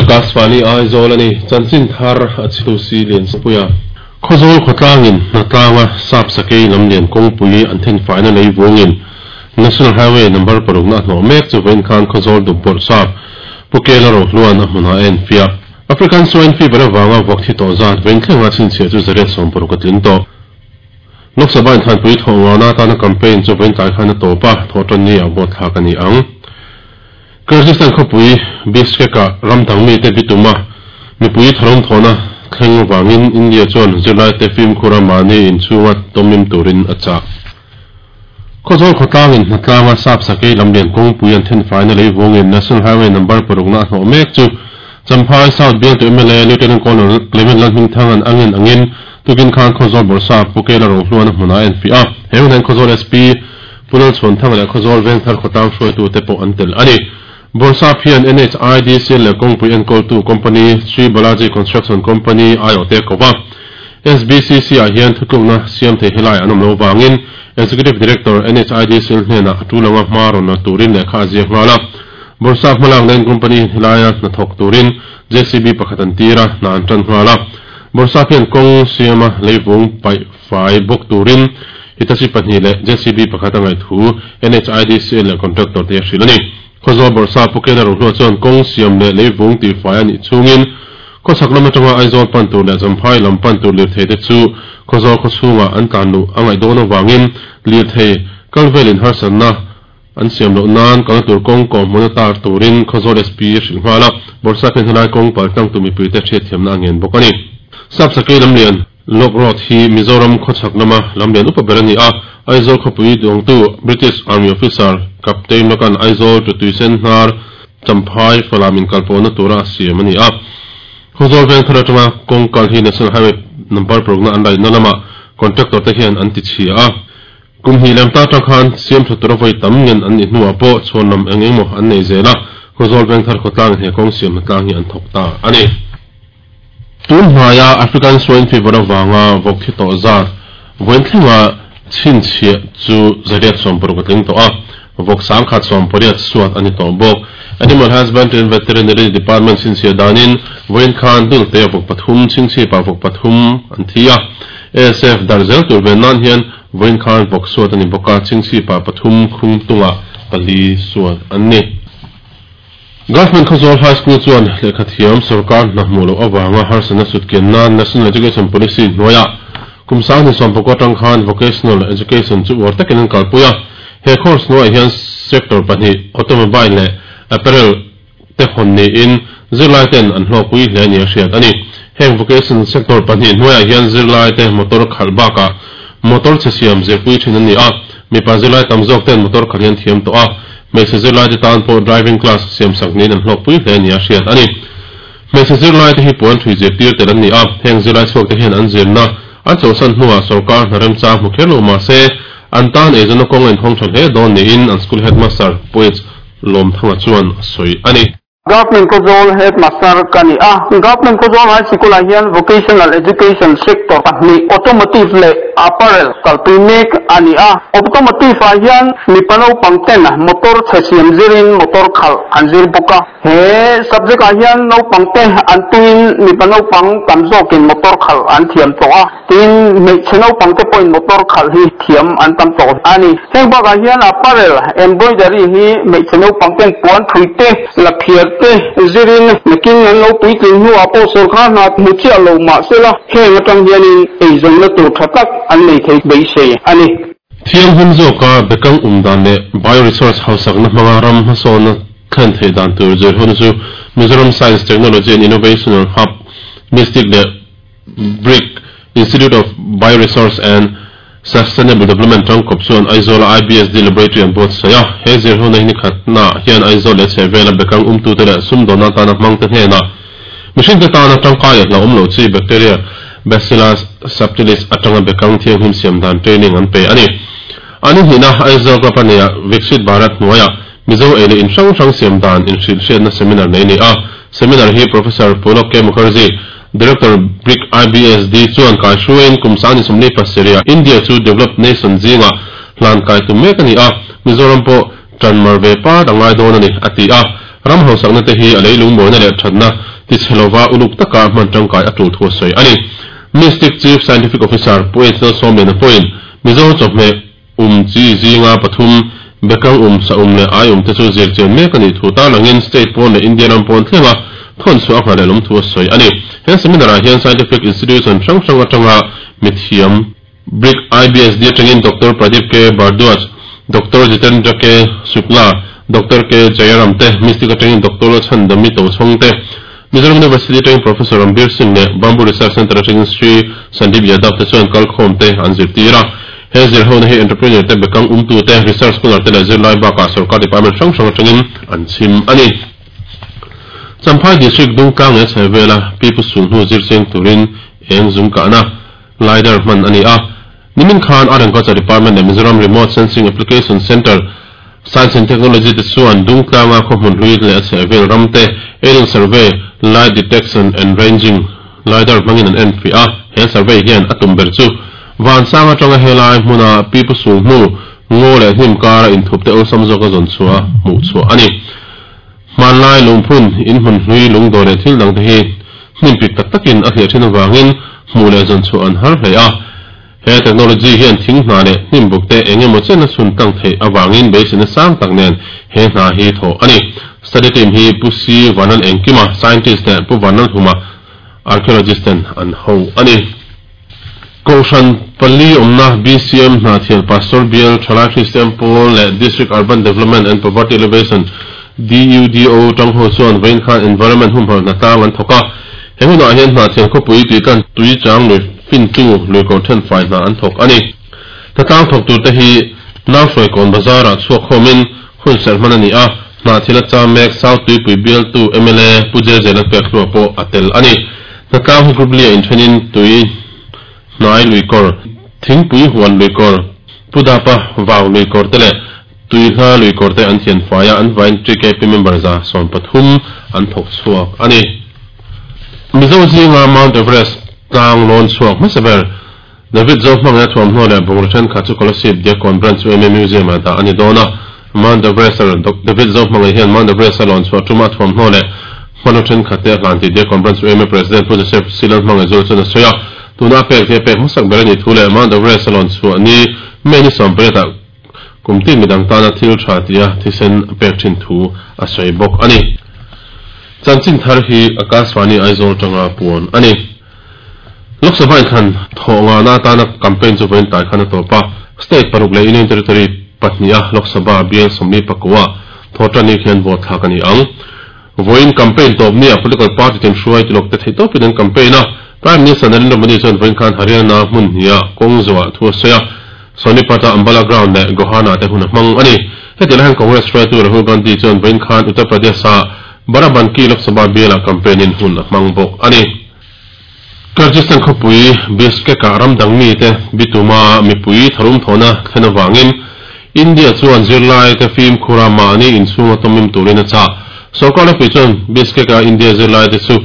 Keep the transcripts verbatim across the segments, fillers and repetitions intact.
Akashvani Aizawl ani chanchin thar a chitu si lian puia khawzawl khawtlangin hnatlanga sap sakei lamlian kawngpui an then faina lei vungin National Highway number paruk na hnawh mek chu vawiin khan khawzawl dup bawrh sap Pukela ro hluan a hmunah a en fiah. African swine fever awanga vawk thi tawh zat vawiin thlenga chhinchhiah chu zariat sawm paruk a tling tawh. Lok Sabha in thlanpui thawh ngana atana campaign chu vawiin tlai khan a tawp a, thawh tan ni ah vote thlak a ni ang. Kyrgyzstan khawpui Bishkek-ah ram dang mite bituma mipui tharum thawhna thleng avangin India chuan zirlaite fimkhura mahni inchhunga tawmim turin a chah. Khawzawl khawtlangin hnatlanga sap sakei lamlian kawngpui an then faina lei vungin National Highway number parukna a hnawh mek chu Champhai South bialtu M L A Lieutenant Colonel Clement Lalhmingthanga'n angin angin tukin khan Khawzawl bawrhsa Pukela Rohluan a hmunah a enfiah a. He hunah hian Khawzawl S P Pu Lalchhuanthanga leh Khawzawl Vengthar khawtlang hruaitute pawh an tel a ni. Bawrhsap hian N H I D C L leh kawngpui enkawltu company Sri Balaji Construction Company aiawhte ko va. S B C C ah hian thutlukna siam thei helai an awm lo vangin Executive Director N H I D C L hnenah a tulanga hma rawn la turin lehkha a ziak nghal a. Bawrhsap hmalak nain company helaia hnathawk turin J C B pakhat an tir a, hna an tan nghal a. Bawrhsap hian kawng siama leivung paih fai bawk turin Hitachi pahnih leh J C B pakhat a ngaih thu N H I D C L leh contractor te a hrilh a ni. Khawzawl bawrhsap Pukela Rohlua chuan kawng siam leh leivung tihfai a nih chungin khawchhak lam atanga Aizawl pan tur leh Champhai lam pan tur lirthei te chu Khawzawl khawchhungah an tlan luh a ngaih dawn avangin lirthei kal velin harsatna an siam loh nan kalna tur kawng kawh hmun a tar turin Khawzawl S P a hrilh nghal a. Bawrhsap hian helai kawng pal tlang tu mipuite hriatthiamna a ngen bawk a ni. Sap sakei lamlian Lok Road hi Mizoram khawchhak lama lamlian upa ber a ni a. Aizawl khawpui duangtu British Army officer Captain Lokan Aizawl tu tuisen hnar Champhai Falam in kalpawhna tura a siam a ni a. Khawzawl veng thar atanga kawng kal hi National Highway number parukna an laihna lamah contractor te hian an ti chhia a. Kum hnih lem ta tang khan siam tha tura vawi tam ngen an nih hnuah pawh chhuan lam eng engemaw an nei zel a. Khawzawl veng thar khawtlang he kawng siam hna tlang hi an thawk ta a ni. Tun hmaia African swine fever awanga vawk thi tawh zat vawiin thlenga chhinchhiah chu zariat sawm paruk a tling tawh a. Vawk sang khat sawm pariat suat a ni tawh bawk. Animal Husbandry and Veterinary Department chhinchhiah danin vawiin khan dul te vawk pathum chhingchhipa vawk pathum an thi a. A S F dar zel tur ve nan hian vawiin khan vawk suat a ni bawk a, chhingchhipa pathum khung tunga pali suat an ni. Government Khawzawl High School chuan lehkha thiam sarkar hna hmuh loh awanga harsatna sutkian nan National Education Policy hnuaiah kum sang ni sawm pakua tang khan vocational education chu uar takin an kalpui a. He course hnuaiah hian sector pahnih automobile leh apparel te hawn niin zirlai ten an hlawkpui hle ni a hriat a ni. Heng vocational sector pahnih hnuaiah hian zirlai te motor khalh bakah motor che siam zirpui thin an ni a. Mipa zirlai tam zawk ten motor khalh hian thiam tawh a. Hmeichhe zirlai te tan pawh driving class siam sak niin an hlawkpui hle ni a hriat a ni. Hmeichhe zirlai te hi puan thui zirtir tel an ni a. Heng zirlai chhuak te hian an zirna an chawlhsan hnuah sarkar hna remchang hmu kher lo mah se an tan eizawnna kawng a inhawng tha hle dawn niin an school headmaster Poets Lawmthanga chuan a sawi a ni. Government Khawzawl headmaster ka ni a. Government Khawzawl High School ah hian vocational education sector pahnih automotive leh apparel kalpui mek a ni a. Automotive ah hian mipa naupang ten motor che siam zirin motor khalh an zir bawk a. He subject ah hian naupang te an tuin mipa naupang tam zawkin motor khalh an thiam tawh a. Tin hmeichhe naupang te pawhin motor khalh hi thiam an tam tawh a ni. Heng bakah hian apparel embroidery hi hmeichhe naupang ten puan thui te la phiar te zirin nakin an lo puitlin hnuah pawh sarkar hna hmu chiah lo mah sela heng atang hianin eizawnna tur tha tak an nei thei beisei a ni. Thiang hlim zawka bekang um dan leh bioresource hausakna hmanga ram hmasawna thlen thei dan tur zir hun chu Mizoram Science Technology and Innovation Hub Mystic leh BRIC Institute of Bioresource and Sustainable Development tangkawp chuan Aizawl I B S D Laboratory an buatsaih a. He zir hun a hi ni khatna hian Aizawl leh chhehvela bekang umtu te leh sumdawna tana hmang te hnenah mihring te tana tangkai a hlauhawm loh chi bacteria Bacillus subtilis atanga bekang thianghlim siam dan training an pe a ni. Ani hnihna Aizawl Club a neia Viksit Bharat hnuaiah Mizo ei leh in hrang hrang siam dan in hrilh hriatna seminar nei ni a. Seminar hi Professor Pulok K Mukherjee, Director BRIC I B S D chuan kai hruain kum sang ni sawmli pasarih India chu developed nation zinga hlan kai tum mek a ni a. Mizoram pawh tan mar ve pa angai dawn a ni a ti a. Ram hausakna te hi a leilung mawina leh thatna ti chelova uluk taka hman tangkai atul thu soi ani Mystic Chief Scientific Officer Puetzel Somlen point Mizo chawhmeh um chi zinga pathum bekang um sa um le ai um te chu zir chen mek ani thu ta langin state pon le Indian ram pon thlenga thon chu a hna lom thu soi ani he seminar ah hian scientific institution hrang hrang atanga mithiam Brick I B S D atangin Doctor Pradeep K Bardwaj Doctor Jitendra K Shukla Doctor K Jayaram te Mystic atangin Doctor Chandami Tochong te Mizoram University atangin Professor Rambir Singh le Bamboo Research Center atangin Sri Sandeep Yadav te chuan kalkhawm te an zir tira he zir ho na hi entrepreneur te bekang umtu te research scholar te le zirlai bakah sarkar department hrang hrang atangin an chim ani Champhai district dungtlang le chhevela pipu sulhnu zir cheng turin eng zum kahna lidar hman ani a nimin khan Art and Culture Department le Mizoram Remote Sensing Application Center Science and Technology te chuan dungtlanga khawhmun hlui le chhevel ram te aerial survey light detection and ranging lidar hmangin an en fi a he survey hian a tum ber chu van sanga tanga helai hmuna pipu sulhnu ngo le hnim kara inthup te awlsam zawk a zawn chhuah hmuh chhuah ani hmanlai lungphun in hmun hlui lungdawr leh thil dang te hi hnim pik tak takin a hliah thin avangin hmuh leh zawn chhuah an har hle a he technology hian thing hna leh hnim buk te engemaw chen a chhun tlang theih awangin beiseina sang tak nen he hna hi thaw ani study team hi Pu C Vanal Engkima scientist le Pu Vanal Huma archaeologist ten an ho ani Koshan Pali Omna B C M hna thial Pastor Bial Thalai Christian Paul le District Urban Development and Poverty Elevation D U D O tang ho chuan vein khan environment hum har na tlang an thoka hemuna hian hna thial khawpui tui kan tui chang lui fin tu lui ko then fai hna an thok ani ta tlang thok tur te hi nau hroi kon bazar ah chhuak khawmin hun ser hman ani a hna thil a cham mek South Tuipui Bial tu M L A Pu Je Zel pek hluah pawh a tel ani ta tlang hi group lia in thenin tui hnai lui kawr thingpui huan lui kawr pudapa vau lui kawr te le tui hla lui kawr te an thian faia an vain T K P member za sawm pathum an thawk chhuak ani Mizo zinga Mount Everest tlang lawn chhuak hmasa ber David Zo hmanga thuamhnaw leh bungraw thenkhat chu Kolasib Diakkawn Branch U M A Museum ah dah ani dawn a Mount Everest David Zo hmanga hian Mount Everest a lawn chhuah tuma thuamhnaw leh hmanraw thenkhat te a hlan tih Diakkawn Branch U M A President Pu Joseph Silal hmanga zul chuan a sawi a tuna pek te pek hmasak ber ani thu leh Mount Everest a lawn chhuah ni May ni sawm pariat ah kumtin midang tana thil tha tia thisen pek thin thu a sawi bawk ani chanchin thar hi Akashvani Aizawl tanga puan ani Lok Sabha in khan thawnga na tana campaign chu vain tai khan a tawpa state paruk leh Union Territory pahnih Lok Sabha bial sawmli pakua thawtani khian vote thlak ani ang voin campaign tawp ni a political party ten hruai tilok te thei tawpin an campaign a Prime Minister Narendra Modi chuan vain khan Haryana hmun hnia kawng zawah thu a sawi a Sonipata Ambala ground leh Gohana te hun a hmang ani heti lai hian Congress hruaitu Rahul Gandhi chuan vain khan Uttar Pradesh ah Barabanki Lok Sabha bial ah campaign in hun a hmang bawk ani Kyrgyzstan khawpui Bishkek ah ramdang mi te bituma mipui tharum thawna thlen awangin India chuan zirlai te fim khura mahni inchhunga tawmim turin a chah sarkar lepui chuan Bishkek ah India zirlai te chu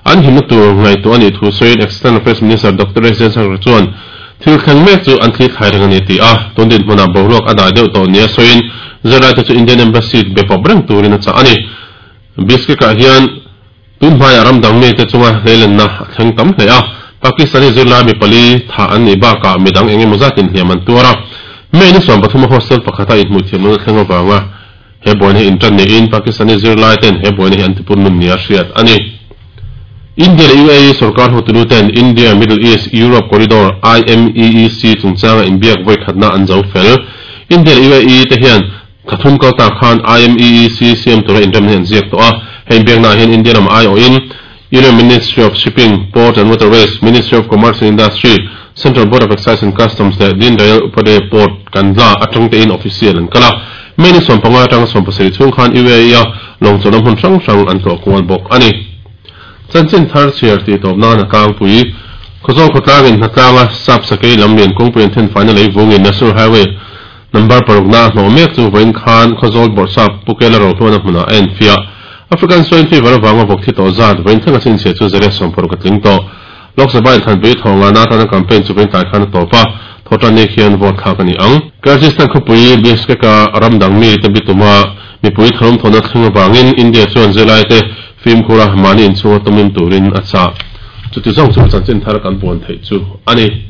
an himna tur ngaihtuah ani thu sawiin External Affairs Minister Doctor S Jaishankar chuan thil thleng mek chu an thli thlai reng ani ti a tundin hmunah boruak a dah deuh tawh nia sawiin zirlai te chu Indian Embassy be pawp reng turin a chah ani Bishkek ah hian tun hmaiah ramdang mi te chunga hleilenna a thleng tam hle a Pakistani zirlai mi pali tha an ni bakah midang engemaw zatin hliam an tuar a May ni sawm pathum a hostel pakhata inhmuh thiam lohna thleng awanga he buaina hi intan niin Pakistani zirlai ten he buaina hi an tipun nun nia hriat ani India leh U A E sarkar hotelu ten India Middle East Europe Corridor I M E E C chungchanga inbiak vawi khatna an zo fel India leh U A E te hian thathum kalta khan I M E E C siam tura inrem hi an ziak tawh a hei inbiakna hian India lam ai awhin Union Ministry of Shipping, Port and Waterways, Ministry of Commerce and Industry, Central Board of Excise and Customs leh Deen Dayal Upadhyay Port Kandla atang te in official an kala May ni sawm panga atanga sawm pasarih chhung khan U A E a lawngchawlh hmun hrang hrang an tlawh kual bawk ani chanchin thar chhiar tih tawp nan a tlangpui Khawzawl khawtlangin hnatlanga sap sakei lam lian kawngpui an then faina lei vungin National Highway number paruk na hnawh mek chu vain khan Khawzawl bawrhsap Pukela ro hluan a hmunah a en fiah African swine fever awanga vawk thi tawh zat vain thlenga chin chhia chu zariat sawm paruk a tling tawh Lok Sabha in khanpui thawnga na tana campaign chu vain tlai khan a tawp a thawtani khian vote thlak ani ang Kyrgyzstan khawpui Bishkek ah ramdang mi te bituma mipui tharum thawna thleng awangin India chuan zirlai te Fimkhura mahni inchhunga tawmim turin a chah. Chuti zawng chu chanchin thar kan puan theih chu a ni.